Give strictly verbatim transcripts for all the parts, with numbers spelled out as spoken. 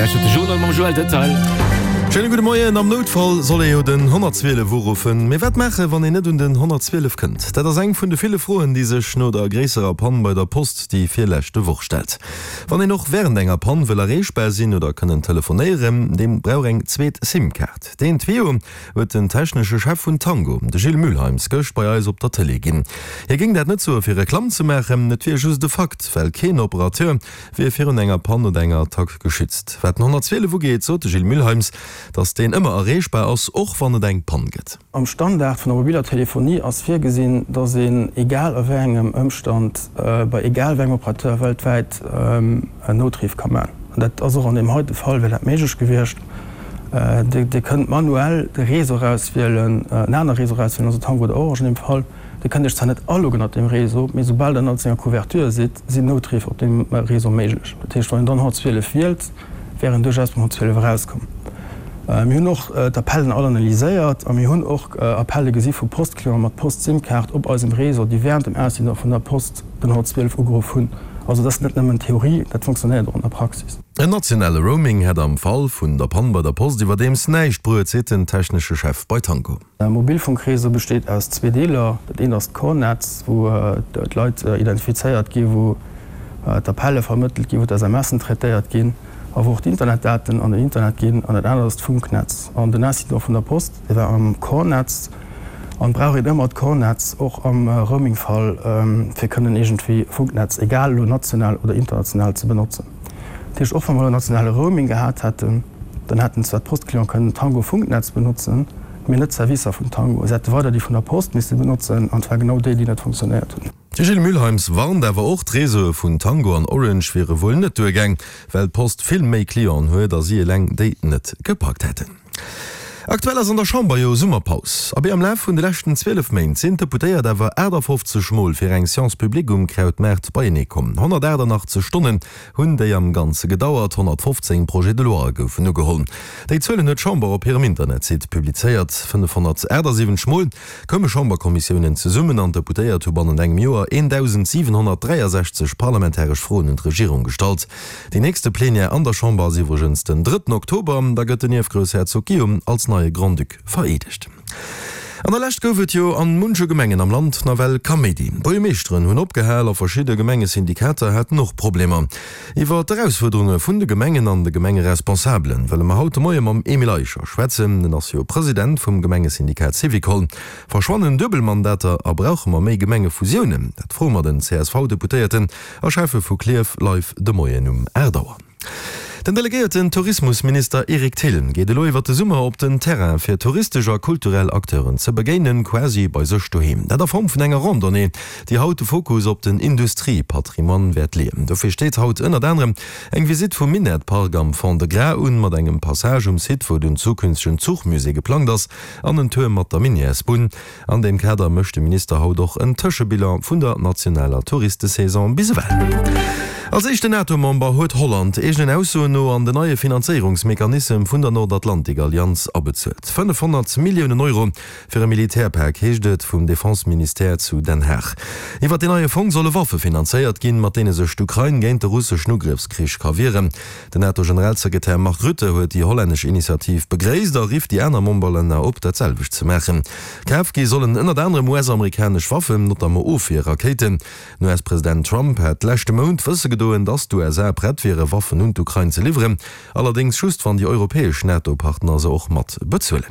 Dir lauschtert de Journal mam Joël Detail. Schéine gudde Moien. Am Noutfall soll ee jo den honnertzwielef uruffen. Mee wat maachen, wann een net un den honnertzwielef kënnt? Dat ass eng vun de ville Froen, déi sech no der gréisserer Pann bei der Post déi virleschte Woch stellt. Wann een och wärend enger Pann wëll erreechbar sinn oder kënnen telefonéieren, dee brauch eng zweet SIM-Kaart. Deen Tuyau huet den technesche Chef vun Tango, de Gilles Mühlheims, gëscht bei eis op der Tëlee ginn. Hie géing dat net soe fir Reklamm ze maachen, et wier just e Fakt, well keen Operateur wier virun enger Pann oder enger Attack geschützt. Wat den honnertzwielef ugeet, sot de Gilles Mühlheims, datt deen ëmmer erreechbar ass, och wann et eng Pann gëtt. Am Standard vun der mobiler Telefonie ass virgesinn, datt een egal a wéi engem Ëmstand bei egal wéi engem Operateur weltwäit en Noutriff ka man. An dat ass och an deem heite Fall wär dat méiglech gewiescht. Dir kënnt manuell de Réseau erauswielen, en anere Réseau erauswielen, also Tango oder Orange an deem Fall. Dir kënnt Iech zwar net aloggen op deem Réseau, mee soubal Der an senger Couverture sidd, sinn Noutriff op deem Réseau méiglech. Dat heescht, wann een dann honnertzwielef wielt, wär een duerchaus beim honnertzwielef erauskomm. Mir hunn och d'Appellen all analyséiert a mir hunn och Appelle gesi vu Postclienten mat Post-SIM-Kaart op eisem Réseau, déi wärend dem Ausdiener vun der Post den honnertzwielef ugeruff hunn. Also dat ass net nëmmen Theorie, dat fonctionnéiert och an der Praxis. En nationale Roaming hätt am Fall vun der Pann bei der Post iwwerdeems näischt bruet, seet den technesche Chef bei Tango. E Mobilfunkréseau besteet aus zwee Deeler. Dat eent ass d'Core-Netz, wou d'Leit identifizéiert ginn, wou d'Appelle vermëttelt ginn, wou d'SMSen traitéiert ginn a wou och d'Internetdaten an den Internet ginn. An dat anert ass d'Funknetz. An den Incident vun der Post, dee war am Core-Netz. An brauch een ëmmer d'Core-Netz, och am Roaming-Fall, fir kënnen iergendwéi Funknetz, egal elo national oder international, ze benotzen. Dat heescht, och wa mer elo nationale Roaming gehat hätten, dann hätten zwar d'Post-Clienten kënnen Tango-Funknetz benotzen, mee net d'Servicer vun Tango. Se hätte weider déi vun der Post misse benotzen, an zwar genau déi, déi net funktionéiert hunn. De Gilles Mühlheims warnt awer och, d'Reseaue vun Tango an Orange wiere wuel net duergaang, well d'Post vill méi Clienten huet a si eleng déi net gepackt hätten. Aktuell ass an der Chamber jo Summerpaus. Abee, am Laf vun de leschten zwielef Méint sinn d'Deputéiert awer aachtafoffzeg Mol fir eng Séance publique um Krautmaart beienee komm. honnertachtannachtzeg Stonnen hunn déi am Ganze gedauert, honnertfofzéng Projets de loi goufen ugeholl. Déi Zuelen huet d'Chamber op hirem Internetsite publizéiert. fënnefhonnertachtasiwwenzeg Mol koume Chamberkommissiounen zesummen an d'Deputéiert hu bannent engem Joer eendausendsiwenhonnertdräiasechzeg parlamentaresch Froen un d'Regierung gestallt. Déi nächste Plenière an der Chamber ass iwwregens den drëtten Oktober. Da gëtt den Ierfgroussherzog Guillaume als neie Grand-Duc vereedegt. An der Lescht gouf et jo an munche Gemengen am Land nawell Kaméidi. Buergermeeschteren hunn opgehal a verschidde Gemengesyndikater haten och Problemer. Iwwer d'Erausfuerderunge vun de Gemengen an de Gemengeresponsabelen wëlle mer haut de Moie mam Emile Eicher schwätzen. Den ass jo President vum Gemengesyndikat Syvicol. Verschwannen Duebelmandater a brauche mer méi Gemengefusiounen? Dat froe mer den C S V-Deputéierten a Schäffe vu Klierf live de Moien um aacht Auer. Den delegéierten Tourismusminister Eric Thill geet elo iwwer de Summer op den Terrain fir touristesch a kulturell Acteuren ze begéinen, quasi bei sech doheem. Dat a Form vun enger Randonnée, déi haut de Fokus op den Industriepatrimoine wäert leeën. Dofir steet haut ënnert anerem eng Visitt vum Minettpark am Fond-de-Gras un, mat engem Passage um Site, wou den zukünftegen Zuchmusée geplangt ass, an en Tour mat der Minièresbunn. An deem Kader mécht de Minister haut och en Tëschebilan vun der nationaler Touristesaison bis ewell. Als éischten NATO-Member huet Holland eegenen Aussoen no an den neie Finanzéierungsmechanissem vun der Nordatlantik-Allianz abezuelt. fënnefhonnert Milliounen Euro fir e Militärpak, heescht et vum Defense-Ministère zu Den Haag. Iwwer deen neie Fong solle Waffe finanzéiert ginn, mat deene sech d'Ukrain géint de russeschen Ugrëffskrich ka wieren. Den NATO-Generalsekretär Mark Rutte huet déi hollännesch Initiativ begréisst a rifft déi aner Memberlänner op, dat selwecht ze maachen. Kaf gi sollen ënnert anerem U S-amerikanesch Waffen, notamment Ofwierrakéiten. Den U S-President Trump hat leschte Mount wësse gedoen, datt d'U S A prett wiere Waffen un d'Ukrain ze liwweren, allerdéngs just wann déi europäesch NATO-Partner se och mat bezuelen.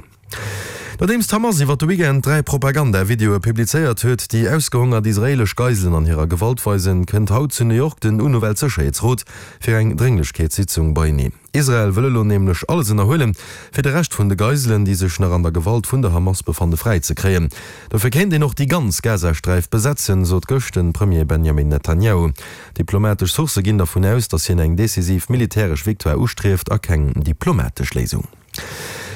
Nodeems d'Hamas iwwer de Weekend dräi Propaganda-Videoe publizéiert huet, déi ausgehongert israeelesch Geiselen an hirer Gewalt weisen, kënnt haut zu New York den UNO-Weltsécherheetsrot fir eng Drénglechkeetssitzung beieneen. Israel wëll elo nämlech alles ënnerhuelen, fir de Rescht vun de Geiselen, déi sech nach an der Gewalt vun der Hamas befanne fräi ze kréien. Dofir kéint een och déi ganz Gazasträif besetzen, sot gëscht de Premier Benjamin Netanjahu. Diplomatesch Sourcë ginn dervun aus, datt hien eng decisiv militäresch Victoire ustrieft a keng diplomatesch Léisung.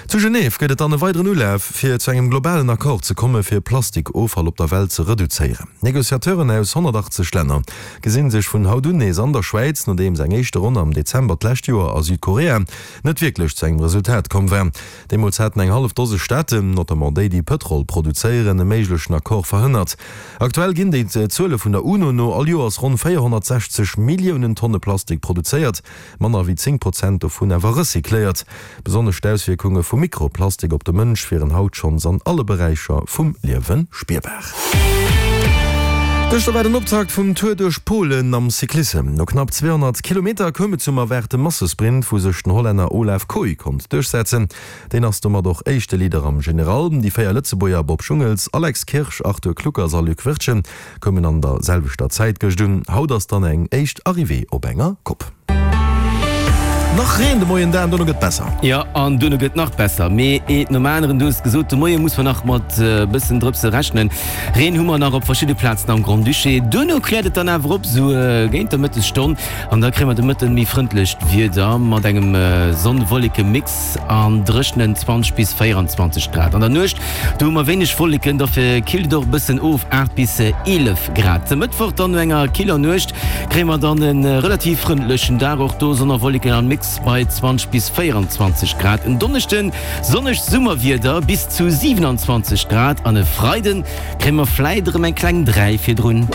Zu Genève gëtt et dann e weideren Ulaf, fir zu engem globalen Accord ze komme fir Plastikoffall op der Welt ze reduzéieren. Negociateuren aus honnertachtzeg Länner gesinn sech vun haut un nees an der Schwäiz, nodeems eng éischte Ronn am Dezember d'lescht Joer a Südkorea net wierklech zu engem Resultat komm war. Deemools haten eng hallef Dose Staaten, notamment déi, déi Pëtrol produzéieren, e méiglechen Accord verhënnert. Aktuell ginn déi Zuele vun der UNO no all Joers ronn véierhonnertsechzeg Milliounen Tonne Plastik produzéiert, manner wéi zéng Prozent dovun awer recycléiert. Besonnesch d'Auswierkunge vu Mikroplastik op de Mënsch wieren haut schonns an alle Beräicher vum Liewe spierbar. Gëschter war den Optakt vum Tour duerch Polen am Cyclissem. No knapp zweehonnert Kilometer koum et zum erwaarte Massesprint, wou sech den Hollänner Olav Kooij konnt duerchsetzen. Deen ass domat och éischte Leader am General. Déi véier Lëtzebuerger Bob Jungels, Alex Kirsch, Arthur Kluckers a Luc Wirtgen koumen an der selwechter Zäit gëscht un. Haut ass dann eng éischt Arrivée op enger Kopp. Nach Reen de Moien, dan dono gëtt besser. Jo, an duerno gëtt nach besser. Mee eent nom aneren, du hues gesot, de Moie muss mer nach mat e bëssen Drëpse rechnen. Reen hu mer nach op verschidde Plazen am Grand-Duché. Duerno kläert et dann awer op, sou géint der Mëttesstonn, an da kréie mer de Mëtten méi frëndlecht Wieder mat engem Sonn-Wolleke-Mix an dréchenen zwanzeg bis véierundzwanzeg Grad. An der Nuecht, do hu mer wéineg Wolleken, dofir killt et och e bëssen of, aacht bis eelef Grad. De Mëttwoch dann no enger killer Nuecht kréie mer dann e relativ frëndlechen Dag, och do Sonn a Wolleken am Mix bei zwanzeg bis véierundzwanzeg Grad. En Donneschden sonnegt Summerwieder bis zu siwenanzwanzeg Grad an e Freiden kréie mer vläit erëm eng kleng dräi virdrun.